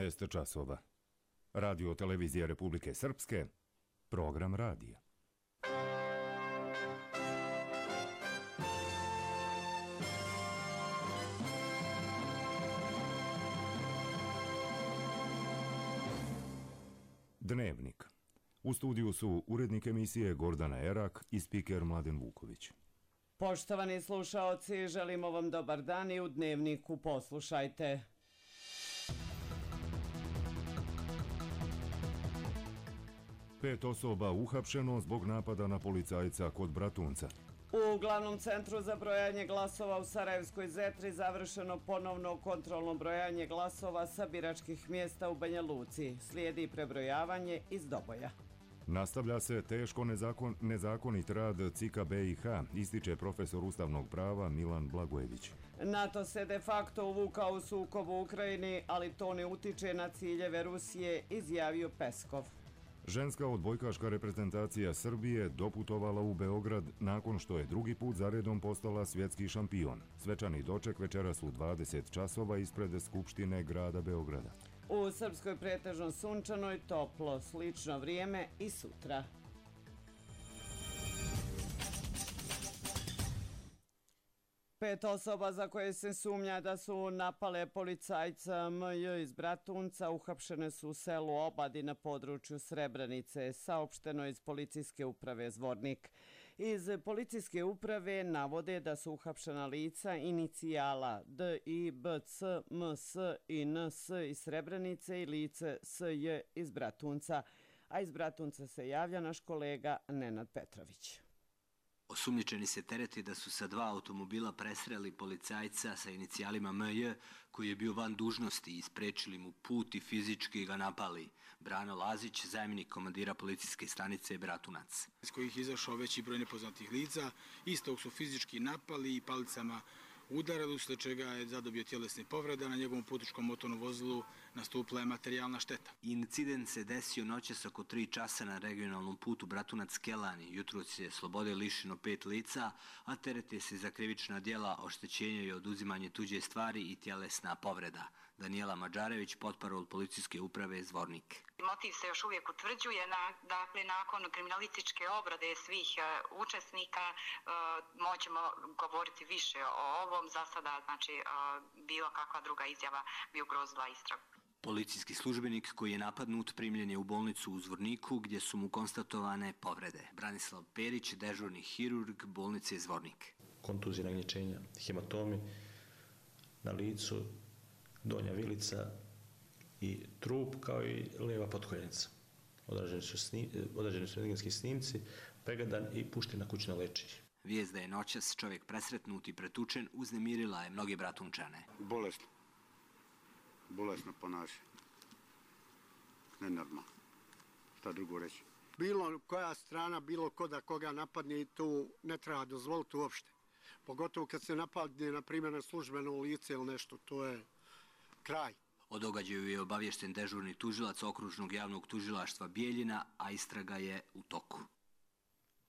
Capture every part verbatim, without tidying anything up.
šesnaest časova. Radio televizija Republike Srpske, program radija. Dnevnik. U studiju su urednik emisije Gordana Erak i spiker Mladen Vuković. Poštovani slušaoci, želimo vam dobar dan i u Dnevniku poslušajte. Pet osoba uhapšeno zbog napada na policajca kod Bratunca. U glavnom centru za brojanje glasova u Sarajevskoj Zetri završeno ponovno kontrolno brojanje glasova sa biračkih mjesta u Banja Luci. Slijedi prebrojavanje iz Doboja. Nastavlja se teško nezakon, nezakonit rad C I K A B i H, ističe profesor ustavnog prava Milan Blagojević. NATO se de facto uvukao u sukob u Ukrajini, ali to ne utiče na ciljeve Rusije, izjavio Peskov. Ženska odbojkaška reprezentacija Srbije doputovala u Beograd nakon što je drugi put zaredom postala svjetski šampion. Svečani doček večeras u dvadeset časova ispred Skupštine grada Beograda. U Srpskoj pretežno sunčanoj, toplo, slično vrijeme i sutra. Pet osoba za koje se sumnja da su napale policajca M J iz Bratunca uhapšene su u selu Obadi na području Srebrenice, saopšteno iz policijske uprave Zvornik. Iz policijske uprave navode da su uhapšena lica inicijala D I B C M S i N S iz Srebrenice i lice S J iz Bratunca, a iz Bratunca se javlja naš kolega Nenad Petrović. Osumnjičeni se tereti da su sa dva automobila presreli policajca sa inicijalima M J koji je bio van dužnosti i isprečili mu put i fizički ga napali. Brano Lazić, zamjenik komandira policijske stanice Bratunac. Iz kojih je izašao veći broj nepoznatih lica, istog su fizički napali i palicama udarali, usled čega je zadobio tjelesne povrede, na njegovom putničkom motornom vozilu nastupila je materijalna šteta. Incident se desio noćas oko tri časa na regionalnom putu Bratunac-Kelani. Jutros je slobode lišeno pet lica, a terete se za krivična djela oštećenja i oduzimanje tuđe stvari i tjelesna povreda. Danijela Mađarević, potparol policijske uprave Zvornik. Motiv se još uvijek utvrđuje, na, dakle nakon kriminalističke obrade svih uh, učesnika uh, moćemo govoriti više o ovom. Za sada, znači, uh, bilo kakva druga izjava bi ugrozila istragu. Policijski službenik koji je napadnut primljen je u bolnicu u Zvorniku gdje su mu konstatovane povrede. Branislav Perić, dežurni hirurg bolnice Zvornik. Kontuzije, nagnječenja, hematomi na licu, donja vilica i trup kao i lijeva potkoljenica. Odrađeni su, snim, odrađeni su rentgenski snimci, pregledan i pušten na kućno lečenje. Vijest da je noćas čovjek presretnut i pretučen uznemirila je mnoge Bratunčane. Bolesno. Bolesno ponašanje. Nenormalno. Šta drugo reći? Bilo koja strana, bilo ko da koga napadne, tu ne treba dozvoliti uopšte. Pogotovo kad se napadne, na primjer, na službeno lice ili nešto, to je kraj. O događaju je obavješten dežurni tužilac okružnog javnog tužilaštva Bijeljina, a istraga je u toku.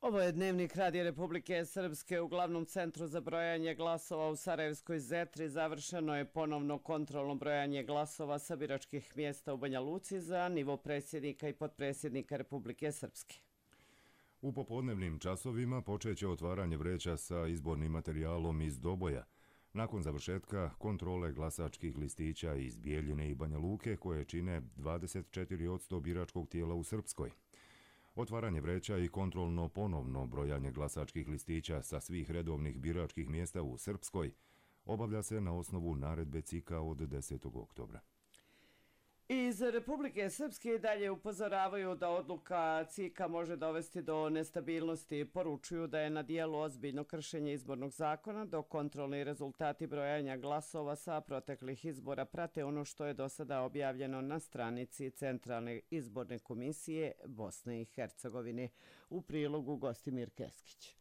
Ovo je Dnevnik Radija Republike Srpske. U glavnom centru za brojanje glasova u Sarajevskoj Zetri završeno je ponovno kontrolno brojanje glasova sa biračkih mjesta u Banja Luci za nivo predsjednika i potpredsjednika Republike Srpske. U popodnevnim časovima počeće otvaranje vreća sa izbornim materijalom iz Doboja, nakon završetka kontrole glasačkih listića iz Bijeljine i Banja Luke koje čine dvadeset četiri posto biračkog tijela u Srpskoj. Otvaranje vreća i kontrolno ponovno brojanje glasačkih listića sa svih redovnih biračkih mjesta u Srpskoj obavlja se na osnovu naredbe C I K A od desetog oktobra. Iz Republike Srpske dalje upozoravaju da odluka C I K A može dovesti do nestabilnosti. Poručuju da je na dijelu ozbiljno kršenje izbornog zakona, dok kontrolni rezultati brojanja glasova sa proteklih izbora prate ono što je do sada objavljeno na stranici Centralne izborne komisije Bosne i Hercegovine. U prilogu Gostimir Keskić.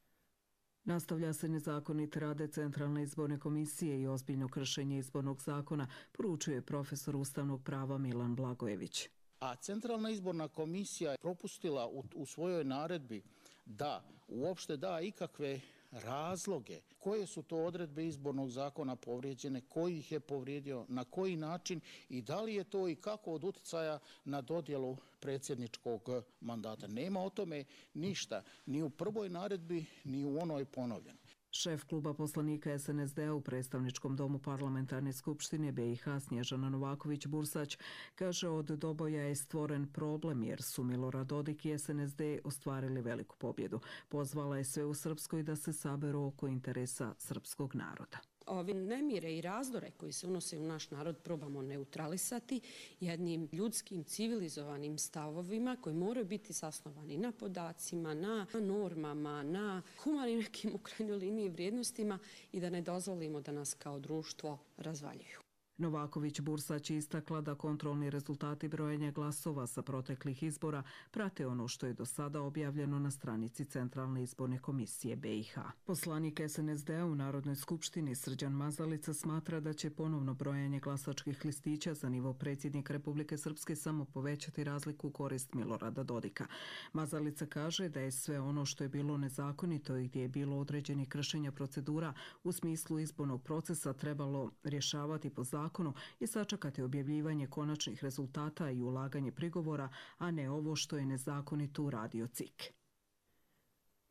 Nastavlja se nezakonit rad Centralne izborne komisije i ozbiljno kršenje izbornog zakona, poručuje profesor ustavnog prava Milan Blagojević. A Centralna izborna komisija je propustila u, u svojoj naredbi da uopšte da ikakve razloge, koje su to odredbe izbornog zakona povrijeđene, koji ih je povrijedio, na koji način i da li je to i kako od utjecaja na dodjelu predsjedničkog mandata. Nema o tome ništa, ni u prvoj naredbi, ni u onoj ponovljenoj. Šef kluba poslanika es en es de u predstavničkom domu parlamentarne skupštine be i ha Snježana Novaković-Bursać kaže od Doboja je stvoren problem jer su Milorad Dodik i es en es de ostvarili veliku pobjedu. Pozvala je sve u Srpskoj da se saberu oko interesa srpskog naroda. Ove nemire i razdore koji se unose u naš narod probamo neutralisati jednim ljudskim, civilizovanim stavovima koji moraju biti zasnovani na podacima, na normama, na humanim nekim u krajnjoj liniji vrijednostima i da ne dozvolimo da nas kao društvo razvaljuju. Novaković-Bursać je istakla da kontrolni rezultati brojenja glasova sa proteklih izbora prate ono što je do sada objavljeno na stranici Centralne izborne komisije be i ha. Poslanik es en es de u Narodnoj skupštini Srđan Mazalica smatra da će ponovno brojanje glasačkih listića za nivo predsjednika Republike Srpske samo povećati razliku u korist Milorada Dodika. Mazalica kaže da je sve ono što je bilo nezakonito i gdje je bilo određenih kršenja procedura u smislu izbornog procesa trebalo rješavati po zakonu zakonu i sačekati objavljivanje konačnih rezultata i ulaganje prigovora, a ne ovo što je nezakonito uradio C I K.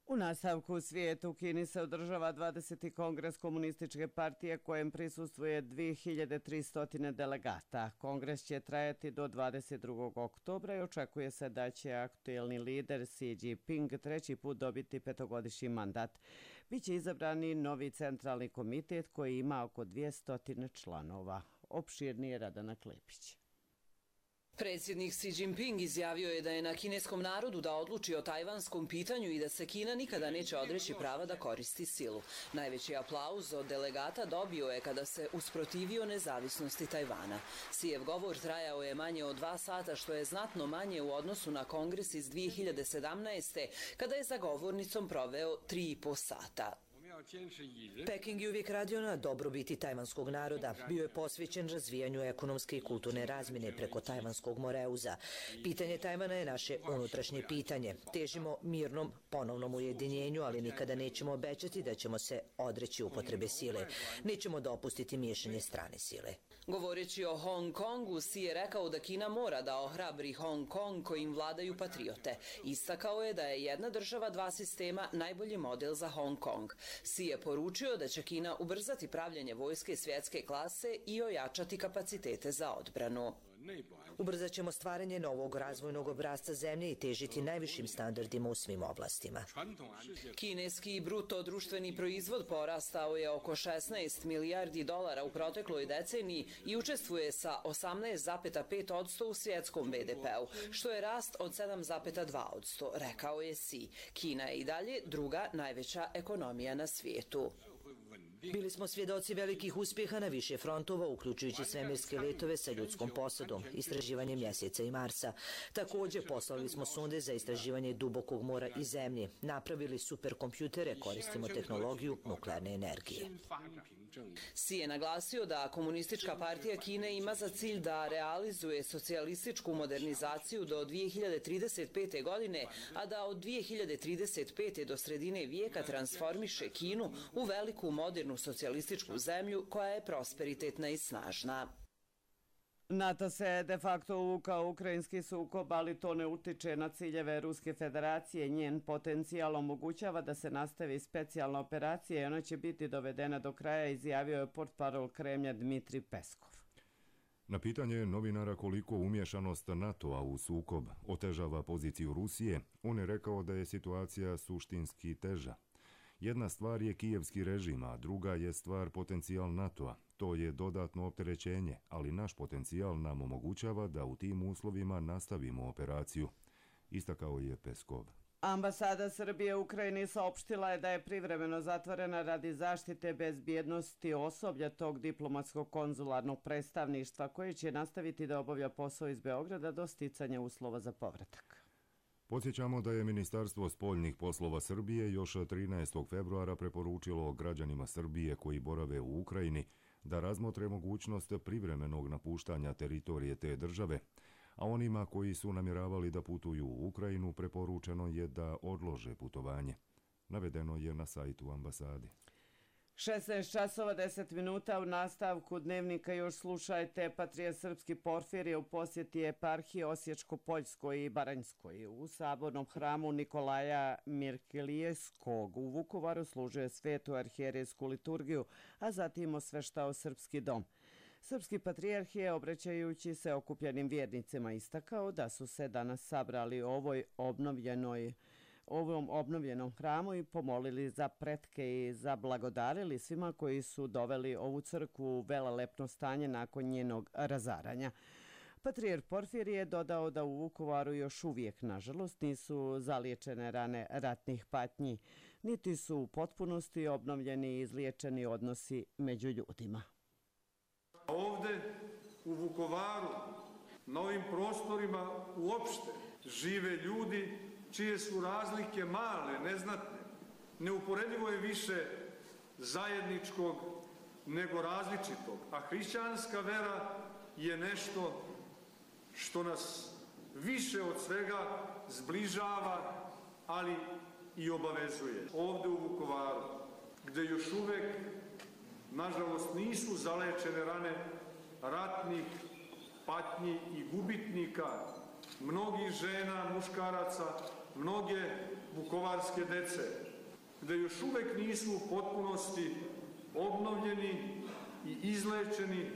U nastavku u svijetu u Kini se održava dvadeseti kongres komunističke partije kojem prisustvuje dvije hiljade tristo delegata. Kongres će trajati do dvadeset drugog oktobra i očekuje se da će aktuelni lider Xi Jinping treći put dobiti petogodišnji mandat. Biće izabrani novi centralni komitet koji ima oko dvjesto članova. Opširnije Radana Klepić. Predsjednik Xi Jinping izjavio je da je na kineskom narodu da odluči o tajvanskom pitanju i da se Kina nikada neće odreći prava da koristi silu. Najveći aplauz od delegata dobio je kada se usprotivio nezavisnosti Tajvana. Xijev govor trajao je manje od dva sata, što je znatno manje u odnosu na kongres iz dvije hiljade sedamnaeste. kada je za govornicom proveo tri i po sata. Peking je uvijek radio na dobrobiti tajvanskog naroda. Bio je posvećen razvijanju ekonomske i kulturne razmjene preko tajvanskog Moreuza. Pitanje Tajvana je naše unutrašnje pitanje. Težimo mirnom ponovnom ujedinjenju, ali nikada nećemo obećati da ćemo se odreći upotrebe sile. Nećemo dopustiti miješanje strane sile. Govoreći o Hong Kongu, Xi je rekao da Kina mora da ohrabri Hong Kong kojim vladaju patriote. Istakao je da je jedna država, dva sistema najbolji model za Hong Kong. Xi je poručio da će Kina ubrzati pravljanje vojske svjetske klase i ojačati kapacitete za odbranu. Ubrzat ćemo stvaranje novog razvojnog obrasca zemlje i težiti najvišim standardima u svim oblastima. Kineski bruto društveni proizvod porastao je oko šesnaest milijardi dolara u protekloj deceniji i učestvuje sa osamnaest zarez pet posto u svjetskom be de peu, što je rast od sedam zarez dva posto, rekao je Xi. Kina je i dalje druga najveća ekonomija na svijetu. Bili smo svjedoci velikih uspjeha na više frontova, uključujući svemirske letove sa ljudskom posadom, istraživanje mjeseca i Marsa. Također poslali smo sonde za istraživanje dubokog mora i zemlje. Napravili superkompjutere, koristimo tehnologiju nuklearne energije. Xi je naglasio da Komunistička partija Kine ima za cilj da realizuje socijalističku modernizaciju do dvije hiljade trideset pete. godine, a da od dvije hiljade trideset pete. do sredine vijeka transformiše Kinu u veliku modernu socijalističku zemlju koja je prosperitetna i snažna. NATO se de facto uvukao u ukrajinski sukob, ali to ne utiče na ciljeve Ruske federacije. Njen potencijal omogućava da se nastavi specijalna operacija i ona će biti dovedena do kraja, izjavio je portparol Kremlja Dmitri Peskov. Na pitanje novinara koliko umješanost NATO-a u sukob otežava poziciju Rusije, on je rekao da je situacija suštinski teža. Jedna stvar je kijevski režim, a druga je stvar potencijal NATO-a. To je dodatno opterećenje, ali naš potencijal nam omogućava da u tim uslovima nastavimo operaciju, istakao je Peskov. Ambasada Srbije u Ukrajini saopštila je da je privremeno zatvorena radi zaštite bezbjednosti osoblja tog diplomatskog konzularnog predstavništva koje će nastaviti da obavlja posao iz Beograda do sticanja uslova za povratak. Podsjećamo da je Ministarstvo spoljnih poslova Srbije još trinaestog februara preporučilo građanima Srbije koji borave u Ukrajini da razmotre mogućnost privremenog napuštanja teritorije te države, a onima koji su namjeravali da putuju u Ukrajinu preporučeno je da odlože putovanje. navedeno je na sajtu ambasade. šesnaest časova deset minuta u nastavku dnevnika još slušajte. Patrijarh srpski Porfirije u posjeti eparhiji Osječko-Poljskoj i Baranjskoj. U sabornom hramu Nikolaja Mirkelijevskog u Vukovaru služuje svetu arhijerejsku liturgiju, a zatim osveštao srpski dom. Srpski patrijarh je, obraćajući se okupljenim vjernicima, istakao da su se danas sabrali u ovoj obnovljenoj ovom obnovljenom hramu i pomolili za pretke i zablagodarili svima koji su doveli ovu crkvu u velelepno stanje nakon njenog razaranja. Patrijarh Porfirije je dodao da u Vukovaru još uvijek, nažalost, nisu zaliječene rane ratnih patnji, niti su u potpunosti obnovljeni i izliječeni odnosi među ljudima. Ovde u Vukovaru, na ovim prostorima uopšte, žive ljudi čije su razlike male, neznatne. Neuporedivo je više zajedničkog nego različitog. A hrišćanska vera je nešto što nas više od svega zbližava, ali i obavezuje. Ovde u Vukovaru, gde još uvek, nažalost, nisu zalečene rane ratnih patnji i gubitnika, mnogih žena, muškaraca, mnoge vukovarske dece, gde još uvek nisu u potpunosti obnovljeni i izlečeni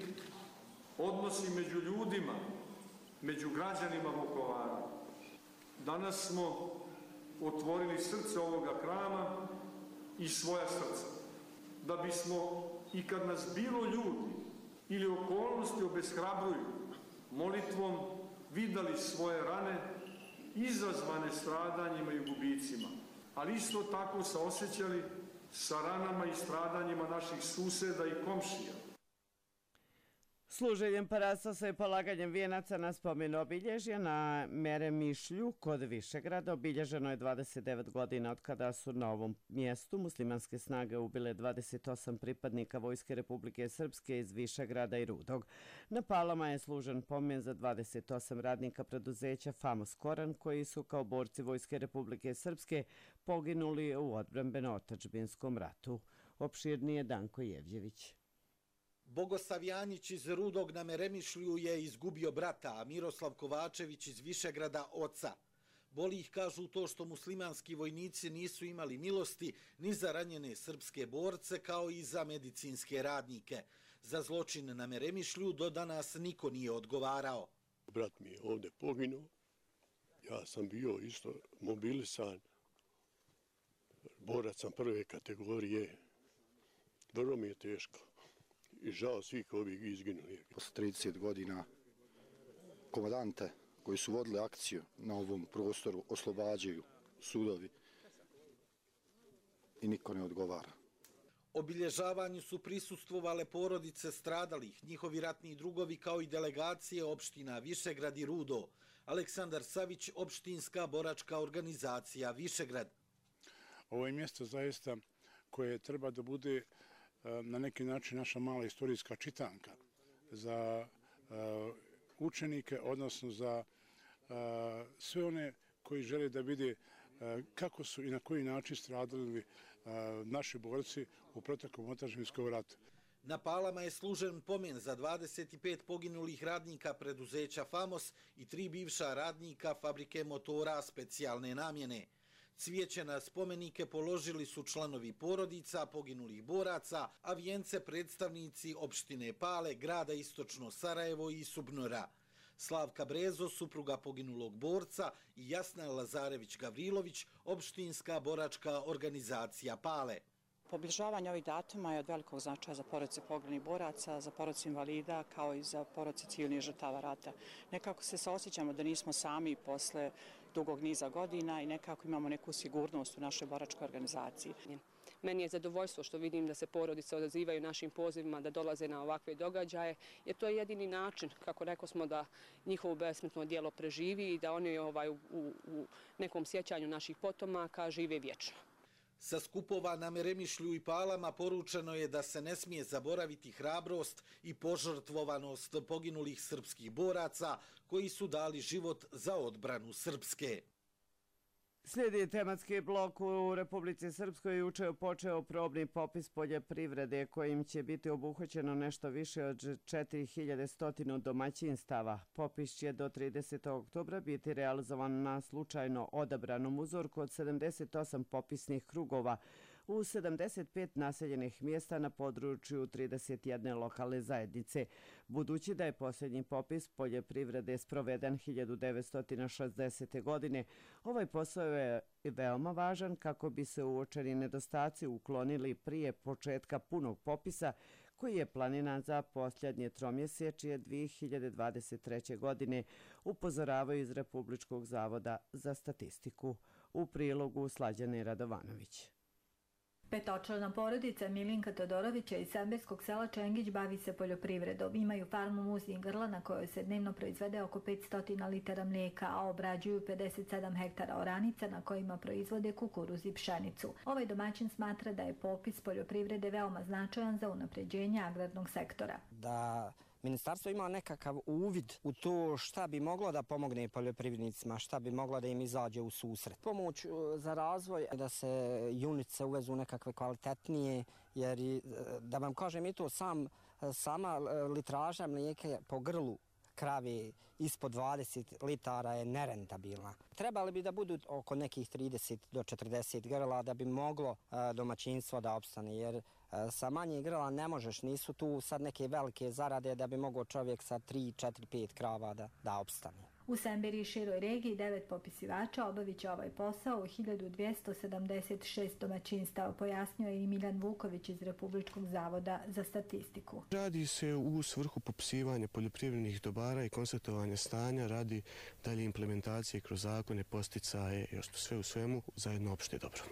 odnosi među ljudima, među građanima Vukovara. Danas smo otvorili srce ovoga hrama i svoja srca, da bismo i kad nas bilo ljudi ili okolnosti obeshrabruju, molitvom vidali svoje rane izazvane stradanjima i gubicima, ali isto tako saosećali sa ranama i stradanjima naših suseda i komšija. Služenjem parastosa i polaganjem vijenaca na spomen obilježja na Meremišlju kod Višegrada obilježeno je dvadeset devet godina od kada su na ovom mjestu muslimanske snage ubile dvadeset osam pripadnika Vojske Republike Srpske iz Višegrada i Rudog. Na Palama je služen pomen za dvadeset osam radnika preduzeća Famos Koran koji su kao borci Vojske Republike Srpske poginuli u odbrambeno-otadžbinskom ratu. Opširnije Danko Jevđević. Bogosav Janjić iz Rudog na Meremišlju je izgubio brata, a Miroslav Kovačević iz Višegrada oca. Boli ih, kažu, to što muslimanski vojnici nisu imali milosti ni za ranjene srpske borce, kao i za medicinske radnike. Za zločin na Meremišlju do danas niko nije odgovarao. Brat mi je ovde poginuo, ja sam bio isto mobilisan, borac sam prve kategorije, vrlo mi je teško. I žao svih ovih izginuli. Posle trideset godina komandante koji su vodili akciju na ovom prostoru oslobađaju sudovi i niko ne odgovara. Obilježavanju su prisustvovale porodice stradalih, njihovi ratni drugovi kao i delegacije opština Višegrad i Rudo. Aleksandar Savić, opštinska boračka organizacija Višegrad. Ovo je mjesto zaista koje treba da bude na neki način naša mala istorijska čitanka za učenike, odnosno za sve one koji žele da vide kako su i na koji način stradali naši borci u proteklom otadžbinskom ratu. Na Palama je služen pomen za dvadeset pet poginulih radnika preduzeća Famos i tri bivša radnika fabrike motora specijalne namjene. Cvijeće na spomenike položili su članovi porodica poginulih boraca, a vijence predstavnici opštine Pale, grada Istočno Sarajevo i Subnora. Slavka Brezo, supruga poginulog borca, i Jasna Lazarević-Gavrilović, opštinska boračka organizacija Pale. Obilježavanje ovih datuma je od velikog značaja za porodice poginulih boraca, za porodice invalida, kao i za porodice civilnih žrtava rata. Nekako se saosjećamo da nismo sami posle dugog niza godina i nekako imamo neku sigurnost u našoj boračkoj organizaciji. Meni je zadovoljstvo što vidim da se porodice odazivaju našim pozivima da dolaze na ovakve događaje, jer to je jedini način, kako rekao smo, da njihovo besmrtno djelo preživi i da oni ovaj, u, u nekom sjećanju naših potomaka žive vječno. Sa skupova na Meremišlju i Palama poručeno je da se ne smije zaboraviti hrabrost i požrtvovanost poginulih srpskih boraca koji su dali život za odbranu Srpske. Slijedi tematski blok. U Republici Srpskoj juče je počeo probni popis poljoprivrede kojim će biti obuhvaćeno nešto više od četiri hiljade sto domaćinstava. Popis će do tridesetog oktobra biti realizovan na slučajno odabranom uzorku od sedamdeset osam popisnih krugova u sedamdeset pet naseljenih mjesta na području trideset jedne lokalne zajednice. Budući da je posljednji popis poljoprivrede sproveden hiljadu devetsto šezdesete. godine, ovaj posao je veoma važan kako bi se uočeni nedostaci uklonili prije početka punog popisa koji je planiran za posljednje tromjesečje dvije hiljade dvadeset treće. godine, upozoravaju iz Republičkog zavoda za statistiku. U prilogu Slađane Radovanović. Petočlana porodica Milinka Todorovića iz Semberskog sela Čengić bavi se poljoprivredom. Imaju farmu muznih grla na kojoj se dnevno proizvede oko petsto litara mlijeka, a obrađuju pedeset sedam hektara oranica na kojima proizvode kukuruz i pšenicu. Ovaj domaćin smatra da je popis poljoprivrede veoma značajan za unapređenje agrarnog sektora. Da ministarstvo ima nekakav uvid u to šta bi moglo da pomogne poljoprivrednicima, šta bi moglo da im izađe u susret. Pomoć za razvoj, da se junice uvezu nekakve kvalitetnije, jer da vam kažem i to sam, sama litraža mlijeka po grlu krave ispod dvadeset litara je nerentabilna. Trebali bi da budu oko nekih trideset do četrdeset grla da bi moglo domaćinstvo da opstane, jer sa manje grla ne možeš, nisu tu sad neke velike zarade da bi mogao čovjek sa tri, četiri, pet krava da, da opstane. U Semberi i široj regiji devet popisivača obavit će ovaj posao u hiljadu dvjesto sedamdeset šest domaćinstava, pojasnio je i Miljan Vuković iz Republičkog zavoda za statistiku. Radi se u svrhu popisivanja poljoprivrednih dobara i konstatovanja stanja radi dalje implementacije kroz zakone, posticaje i sve u svemu za jedno opšte dobro.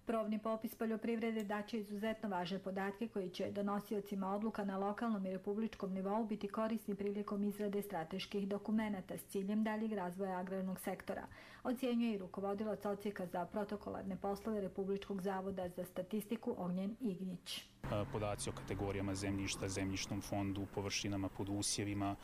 Probni popis poljoprivrede daće izuzetno važne podatke koji će donosiocima odluka na lokalnom i republičkom nivou biti korisni prilikom izrade strateških dokumenata s ciljem daljeg razvoja agrarnog sektora, ocjenjuje i rukovodilac odsjeka za protokolarne poslove Republičkog zavoda za statistiku Ognjen Ignjić. Podaci o kategorijama zemljišta, zemljišnom fondu, površinama pod usjevima,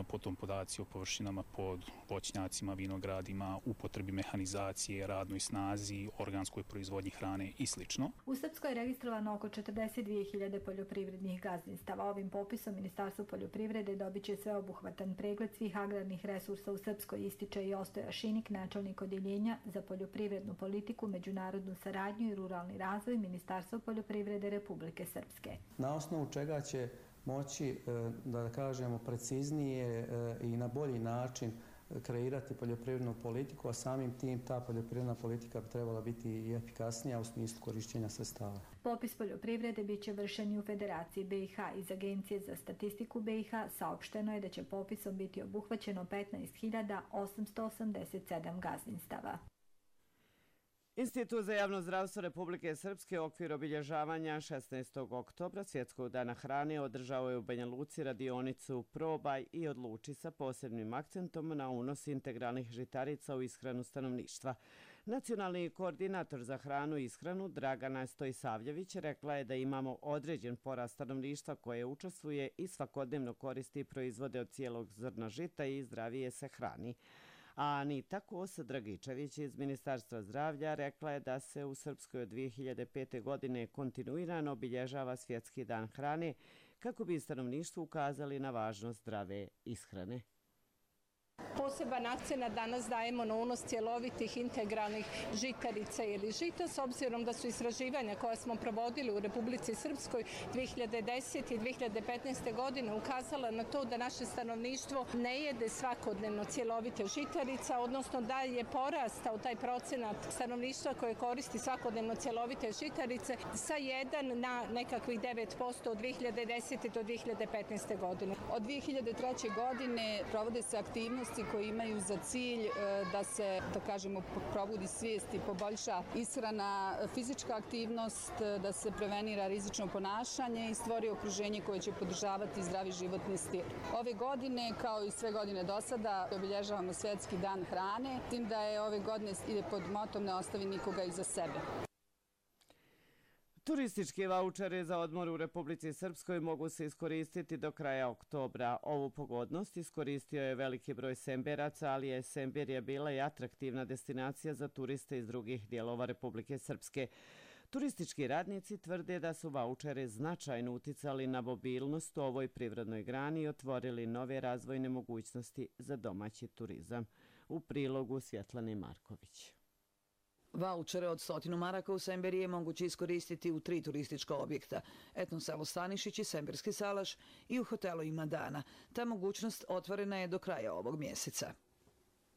potom podaci o površinama pod voćnjacima, vinogradima, upotrebi mehanizacije, radnoj snazi, organskoj proizvodnji hrane i sl. U Srpskoj je registrovano oko četrdeset dvije hiljade poljoprivrednih gazdinstava. Ovim popisom Ministarstvo poljoprivrede dobit će sveobuhvatan pregled svih agrarnih resursa u Srpskoj, ističe i Ostoja Šinik, načelnik odjeljenja za poljoprivrednu politiku, međunarodnu saradnju i ruralni razvoj Ministarstva poljoprivrede Republike Srpske. Na osnovu čega će moći, da kažemo, preciznije i na bolji način kreirati poljoprivrednu politiku, a samim tim ta poljoprivredna politika bi trebala biti i efikasnija u smislu korišćenja sredstava. Popis poljoprivrede bit će vršen i u Federaciji B i H. Iz Agencije za statistiku B i H saopšteno je da će popisom biti obuhvaćeno petnaest hiljada osamsto osamdeset sedam gazdinstava. Institut za javno zdravstvo Republike Srpske u okviru obilježavanja šesnaestog oktobra Svjetskog dana hrane održao je u Banja Luci radionicu Probaj i odluči sa posebnim akcentom na unos integralnih žitarica u ishranu stanovništva. Nacionalni koordinator za hranu i ishranu Dragana Stojsavljević rekla je da imamo određen porast stanovništva koje učestvuje i svakodnevno koristi proizvode od cijelog zrna žita i zdravije se hrani. A Anita Kos-Dragičević iz Ministarstva zdravlja rekla je da se u Srpskoj od dvije hiljade pete. godine kontinuirano obilježava Svjetski dan hrane kako bi stanovništvu ukazali na važnost zdrave ishrane. Poseban akcenat danas dajemo na unos cjelovitih integralnih žitarica ili žita, s obzirom da su istraživanja koja smo provodili u Republici Srpskoj dvije hiljade desete. i dvije hiljade petnaeste. godine ukazala na to da naše stanovništvo ne jede svakodnevno cjelovite žitarica, odnosno da je porastao taj procenat stanovništva koje koristi svakodnevno cjelovite žitarice sa jedan na nekakvih devet posto od dvije hiljade desete. do dvije hiljade petnaeste. godine. Od dvije hiljade treće. godine provode se aktivnosti koji imaju za cilj da se, da kažemo, probudi svijest i poboljša ishrana, fizička aktivnost, da se prevenira rizično ponašanje i stvori okruženje koje će podržavati zdravi životni stil. Ove godine, kao i sve godine do sada, obilježavamo Svjetski dan hrane, s tim da je ove godine ide pod motom ne ostavi nikoga iza sebe. Turistički vaučeri za odmor u Republici Srpskoj mogu se iskoristiti do kraja oktobra. Ovu pogodnost iskoristio je veliki broj Semberaca, ali je Semberija bila i atraktivna destinacija za turiste iz drugih dijelova Republike Srpske. Turistički radnici tvrde da su vaučeri značajno uticali na mobilnost u ovoj privrednoj grani i otvorili nove razvojne mogućnosti za domaći turizam. U prilogu Svjetlane Marković. Vaučere od stotinu maraka u Semberiji je moguće iskoristiti u tri turistička objekta. Etno selo Stanišić i Semberski salaš i u hotelu Ima dana. Ta mogućnost otvorena je do kraja ovog mjeseca.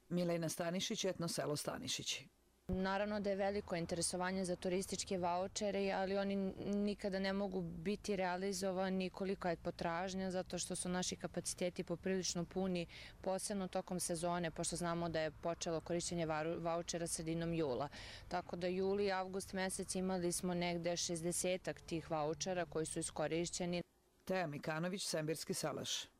Milena Stanišić, Etno selo Stanišić. Naravno da je veliko interesovanje za turističke vaučere, ali oni nikada ne mogu biti realizovani koliko je potražnja, zato što su naši kapaciteti poprilično puni, posebno tokom sezone, pošto znamo da je počelo korišćenje vaučera sredinom jula. Tako da juli i avgust mesec imali smo negde šezdesetak tih vaučera koji su iskorišćeni. Teja Mikanović, Semberski salaš.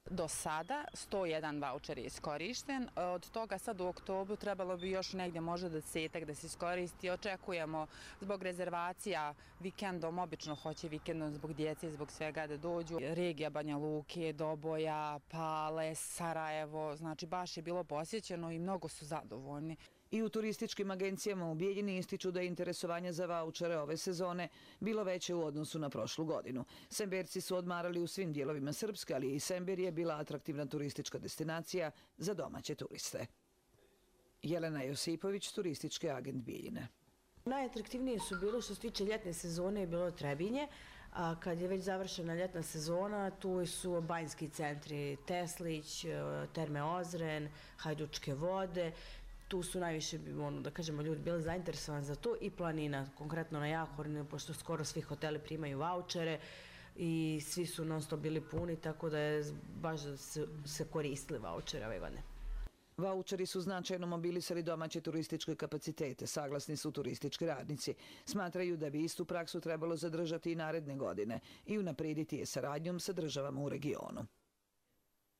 Do sada sto jedan vaučer je iskorišten, od toga sad u oktobru trebalo bi još negdje možda desetak da se iskoristi. Očekujemo zbog rezervacija vikendom, obično hoće vikendom zbog djece i zbog svega da dođu. Regija Banja Luke, Doboja, Pale, Sarajevo, znači baš je bilo posjećeno i mnogo su zadovoljni. I u turističkim agencijama u Bijeljini ističu da je interesovanje za vaučere ove sezone bilo veće u odnosu na prošlu godinu. Semberci su odmarali u svim dijelovima Srpske, ali i Semberija je bila atraktivna turistička destinacija za domaće turiste. Jelena Josipović, turistički agent Bijeljine. Najatraktivnije su bilo što se tiče ljetne sezone je bilo Trebinje, a kad je već završena ljetna sezona, tu su banjski centri Teslić, Terme Ozren, Hajdučke vode. Tu su najviše, ono, da kažemo, ljudi bili zainteresovani za to i planina, konkretno na Jahorinu, pošto skoro svi hoteli primaju vaučere i svi su non stop bili puni, tako da je baš da se, se koristili vaučere ove godine. Vaučeri su značajno mobilisali domaće turističke kapacitete, saglasni su turistički radnici. Smatraju da bi istu praksu trebalo zadržati i naredne godine i unaprijediti je saradnjom sa državama u regionu.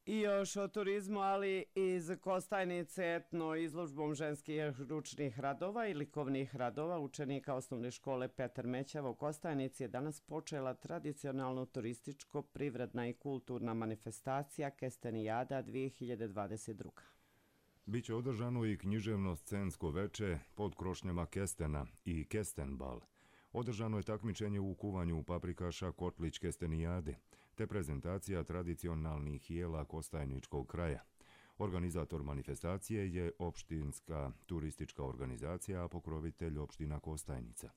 I još o turizmu, ali iz Kostajnice etno izložbom ženskih ručnih radova i likovnih radova učenika osnovne škole Petar Mećava u Kostajnici je danas počela tradicionalno turističko-privredna i kulturna manifestacija Kestenijada dvije hiljade dvadeset druga. Biće održano i književno-scensko veče pod krošnjama Kestena i Kestenbal. Održano je takmičenje u kuvanju paprikaša Kotlić Kestenijade, te prezentacija tradicionalnih jela Kostajničkog kraja. Organizator manifestacije je opštinska turistička organizacija, a pokrovitelj opština Kostajnica.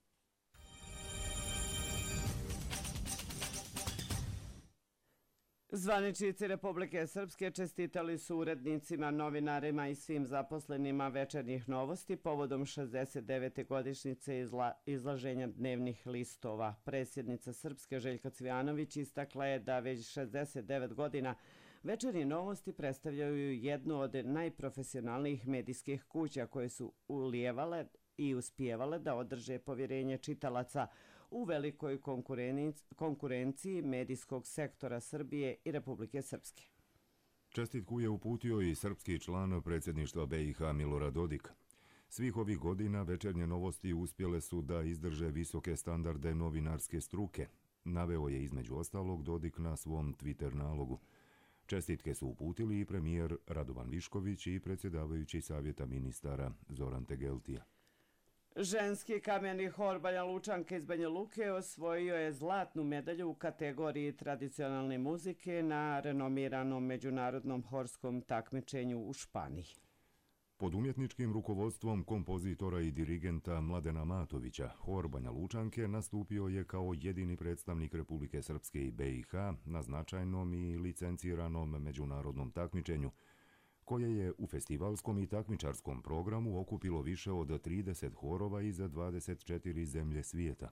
Zvaničnici Republike Srpske čestitali su urednicima, novinarima i svim zaposlenima Večernjih novosti povodom šezdeset devete godišnjice izla, izlaženja dnevnih listova. Predsjednica Srpske Željka Cvijanović istakla je da već šezdeset devet godina Večernje novosti predstavljaju jednu od najprofesionalnijih medijskih kuća koje su ulijevale i uspijevale da održe povjerenje čitalaca u velikoj konkurenciji medijskog sektora Srbije i Republike Srpske. Čestitku je uputio i srpski član predsjedništva B i H Milorad Dodik. Svih ovih godina Večernje novosti uspjele su da izdrže visoke standarde novinarske struke, naveo je između ostalog Dodik na svom Twitter nalogu. Čestitke su uputili i premijer Radovan Višković i predsjedavajući savjeta ministara Zoran Tegeltija. Ženski kameni hor Banja Lučanke iz Banja Luke osvojio je zlatnu medalju u kategoriji tradicionalne muzike na renomiranom međunarodnom horskom takmičenju u Španiji. Pod umjetničkim rukovodstvom kompozitora i dirigenta Mladena Matovića, hor Banja Lučanke nastupio je kao jedini predstavnik Republike Srpske i B i H na značajnom i licenciranom međunarodnom takmičenju, koje je u festivalskom i takmičarskom programu okupilo više od trideset horova iz dvadeset četiri zemlje svijeta.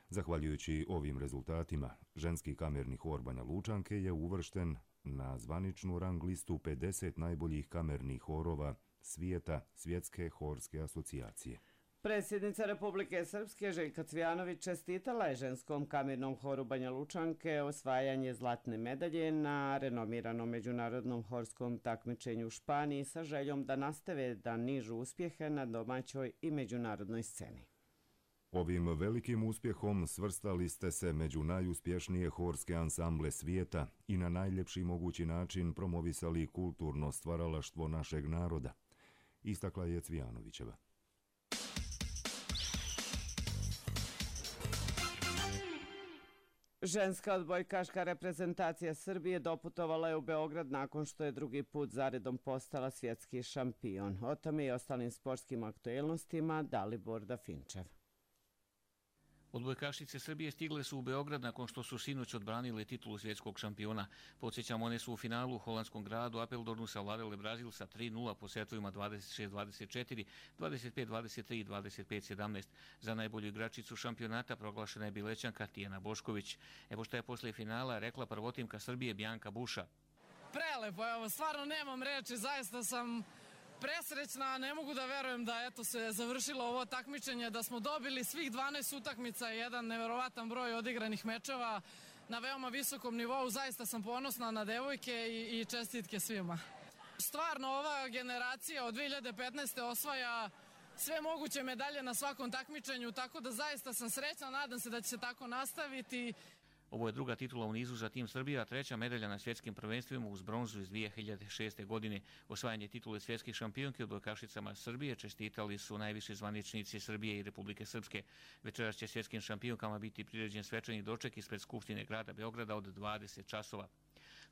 Zahvaljujući ovim rezultatima, ženski kamerni hor Banja Lučanke je uvršten na zvaničnu rang listu pedeset najboljih kamernih horova svijeta Svjetske horske asocijacije. Predsjednica Republike Srpske Željka Cvijanović čestitala je ženskom kamernom horu Banja Lučanke osvajanje zlatne medalje na renomiranom međunarodnom horskom takmičenju u Španiji sa željom da nastave da nižu uspjehe na domaćoj i međunarodnoj sceni. Ovim velikim uspjehom svrstali ste se među najuspješnije horske ansamble svijeta i na najljepši mogući način promovisali kulturno stvaralaštvo našeg naroda, istakla je Cvijanovićeva. Ženska odbojkaška reprezentacija Srbije doputovala je u Beograd nakon što je drugi put zaredom postala svjetski šampion. O tome i ostalim sportskim aktuelnostima Dalibor Dafinčev. Odbojkašice Srbije stigle su u Beograd nakon što su sinoć odbranile titulu svjetskog šampiona. Podsjećamo, one su u finalu u holandskom gradu Apeldornu savladale Brazil sa tri nula po setovima dvadeset šest dvadeset četiri, dvadeset pet dvadeset tri i dvadeset pet sedamnaest. Za najbolju igračicu šampionata proglašena je Bilećanka Tijana Bošković. Evo šta je posle finala rekla prvotimka Srbije Bjanka Buša. Prelepo, evo, stvarno nemam reči, zaista sam presrećna, ne mogu da verujem da eto se završilo ovo takmičenje, da smo dobili svih dvanaest utakmica i jedan neverovatan broj odigranih mečeva na veoma visokom nivou. Zaista sam ponosna na devojke i, i čestitke svima. Stvarno ova generacija od dve hiljade petnaeste. osvaja sve moguće medalje na svakom takmičenju, tako da zaista sam srećna, nadam se da će se tako nastaviti. Ovo je druga titula u nizu za tim Srbije, a treća medalja na svjetskim prvenstvima uz bronzu iz dvije hiljade šeste. godine. Osvajanje titule svjetskih šampionki odbojkašicama Srbije čestitali su najviši zvaničnici Srbije i Republike Srpske. Večeras će svjetskim šampionkama biti priređen svečani doček ispred Skupštine grada Beograda od dvadeset časova.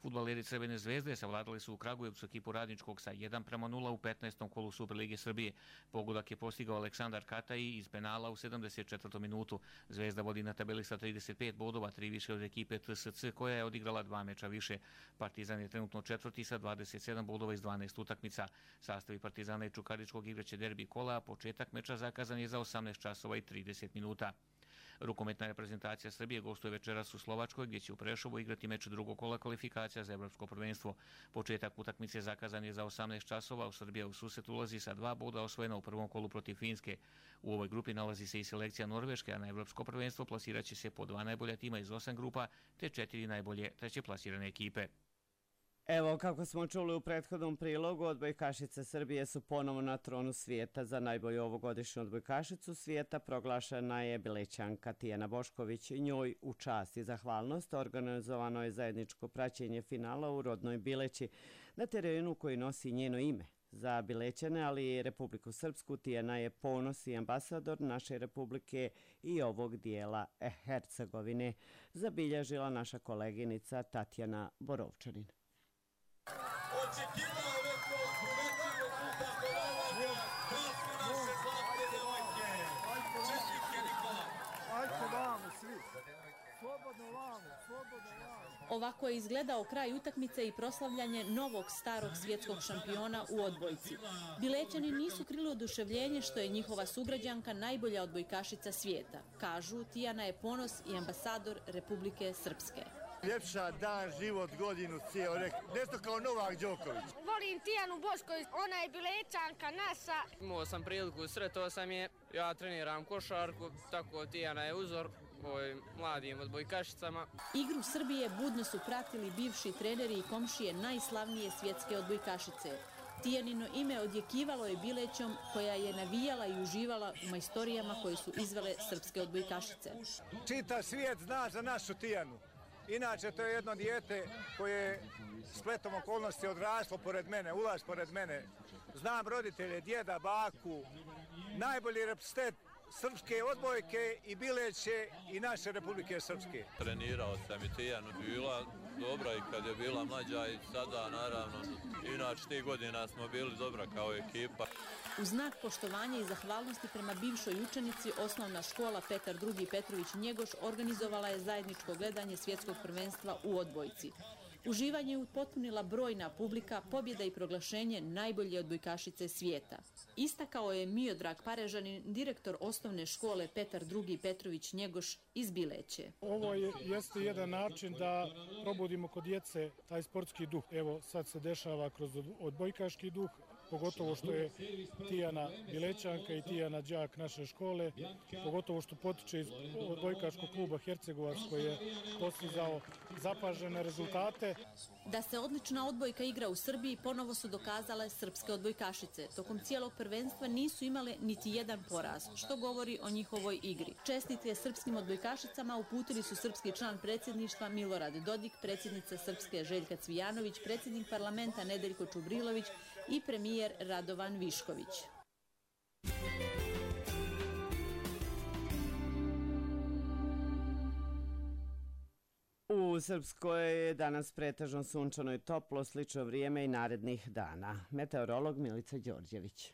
Fudbaleri Crvene zvezde savladali su u Kragujevcu ekipu Radničkog sa jedan prema nula u petnaestom kolu Superlige Srbije. Pogodak je postigao Aleksandar Kataji iz penala u sedamdeset četvrtoj minutu. Zvezda vodi na tabeli sa trideset pet bodova, tri više od ekipe T S C koja je odigrala dva meča više. Partizan je trenutno četvrti sa dvadeset sedam bodova iz dvanaest utakmica. Sastavi Partizana i Čukaričkog igraće derbi kola, a početak meča zakazan je za osamnaest časova i trideset minuta. Rukometna reprezentacija Srbije gostuje večeras u Slovačkoj, gdje će u Prešovu igrati meč drugog kola kvalifikacija za evropsko prvenstvo. Početak utakmice zakazan je za osamnaest časova, u Srbija u susret ulazi sa dva boda osvojena u prvom kolu protiv Finske. U ovoj grupi nalazi se i selekcija Norveške, a na evropsko prvenstvo plasiraće se po dva najbolja tima iz osam grupa, te četiri najbolje treće plasirane ekipe. Evo, kako smo čuli u prethodnom prilogu, odbojkašice Srbije su ponovo na tronu svijeta. Za najbolju ovogodišnju odbojkašicu svijeta proglašena je Bilećanka Tijana Bošković. Njoj u čast i zahvalnost organizovano je zajedničko praćenje finala u rodnoj Bileći na terenu koji nosi njeno ime. Za Bilećane, ali i Republiku Srpsku, Tijana je ponos i ambasador naše republike i ovog dijela Hercegovine, zabilježila naša koleginica Tatjana Borovčanin. Očekivao je to, primetili učestvovanje, krasne naše zlatne devojke. Čestitke, Nikola. Ajde vamo svi. Slobodno vamo, slobodno vamo. Ovako je izgledao kraj utakmice i proslavljanje novog starog svjetskog šampiona u odbojci. Bilećani nisu krili oduševljenje što je njihova sugrađanka najbolja odbojkašica svijeta. Kažu, Tijana je ponos i ambasador Republike Srpske. Ljepša dan, život, godinu, cijel, nešto kao Novak Đoković. Volim Tijanu Bošković, ona je Bilećanka naša. Imao sam priliku, sretao sam je, ja treniram košarku, tako Tijana je uzor ovim mladim odbojkašicama. Igru Srbije budno su pratili bivši treneri i komšije najslavnije svjetske odbojkašice. Tijanino ime odjekivalo je Bilećom, koja je navijala i uživala u majstorijama koje su izvele srpske odbojkašice. Čitav svijet zna za našu Tijanu. Inače, to je jedno dijete koje je spletom okolnosti odraslo pored mene, ulaz pored mene. Znam roditelje, djeda, baku, najbolji reprezentant srpske odbojke i Bileće i naše Republike Srpske. Trenirao sam i Tijanu, bila dobra i kad je bila mlađa i sada naravno. Inače, tih godina smo bili dobra kao ekipa. U znak poštovanja i zahvalnosti prema bivšoj učenici, osnovna škola Petar drugi Petrović Njegoš organizovala je zajedničko gledanje svjetskog prvenstva u odbojci. Uživanje je upotpunila brojna publika, pobjeda i proglašenje najbolje odbojkašice svijeta. Istakao je Miodrag Parežanin, direktor osnovne škole Petar drugi Petrović Njegoš iz Bileće. Ovo je, jeste jedan način da probudimo kod djece taj sportski duh. Evo, sad se dešava kroz odbojkaški duh, pogotovo što je Tijana Bilećanka i Tijana đak naše škole, pogotovo što potiče iz odbojkaškog kluba Hercegovac koji je postizao zapažene rezultate. Da se odlična odbojka igra u Srbiji ponovo su dokazale srpske odbojkašice. Tokom cijelog prvenstva nisu imale niti jedan poraz, što govori o njihovoj igri. Čestitke srpskim odbojkašicama uputili su srpski član predsjedništva Milorad Dodik, predsjednica Srpske Željka Cvijanović, predsjednik parlamenta Nedeljko Čubrilović i premijer Radovan Višković. U Srpskoj je danas pretežno sunčano i toplo, slično vrijeme i narednih dana. Meteorolog Milica Đorđević.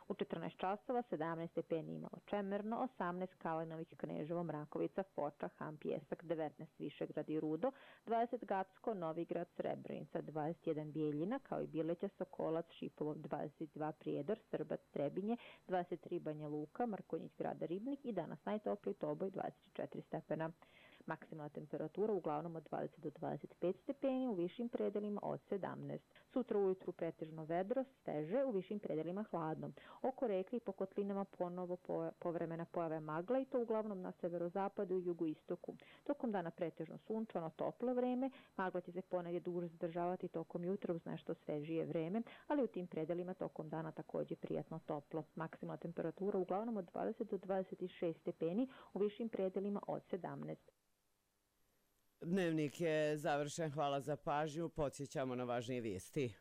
U četrnaest časova sedamnaest stepeni imalo Čemerno, osamnaest Kalenović, Kneževo, Mrakovica, Foča, Ham, Pjesak, devetnaest Višegrad i Rudo, dvadeset Gacko, Novigrad, Srebrenica, dvadeset jedan Bijeljina, kao i Bileća, Sokolac, Šipovo, dvadeset dva Prijedor, Srbac, Trebinje, dvadeset tri Banja Luka, Markonjić, Grada Ribnik i danas najtopliji Toboj dvadeset četiri stepena. Maksimalna temperatura uglavnom od dvadeset do dvadeset pet stepeni, u višim predelima od sedamnaest. Sutra ujutru pretežno vedro, steže, u višim predelima hladno. Oko reke i po kotlinama ponovo povremena pojave magla i to uglavnom na severozapadu i jugoistoku. Tokom dana pretežno sunčano, toplo vreme, magla će se ponegdje duže zadržavati tokom jutra uz nešto svežije vreme, ali u tim predelima tokom dana također prijatno toplo. Maksimalna temperatura uglavnom od dvadeset do dvadeset šest stepeni, u višim predelima od sedamnaest. Dnevnik je završen, hvala za pažnju, podsjećamo na važnije vijesti.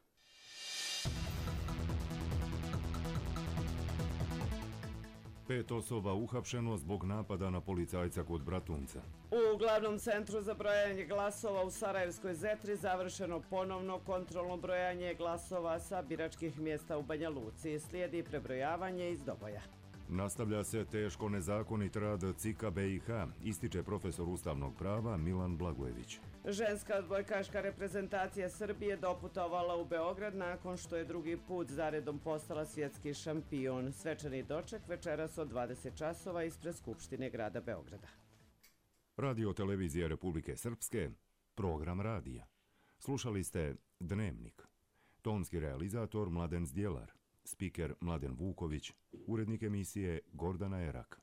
Pet osoba uhapšeno zbog napada na policajca kod Bratunca. U glavnom centru za brojanje glasova u Sarajevskoj Zetri završeno ponovno kontrolno brojanje glasova sa biračkih mjesta u Banja Luci. Slijedi prebrojavanje iz Doboja. Nastavlja se teško nezakonit rad C I K-a B i H, ističe profesor ustavnog prava Milan Blagojević. Ženska odbojkaška reprezentacija Srbije doputovala u Beograd nakon što je drugi put zaredom postala svjetski šampion. Svečani doček večeras od dvadeset časova ispred Skupštine grada Beograda. Radio televizije Republike Srpske, program radija. Slušali ste Dnevnik. Tonski realizator Mladen Zdjelar. Spiker Mladen Vuković, urednik emisije Gordana Erak.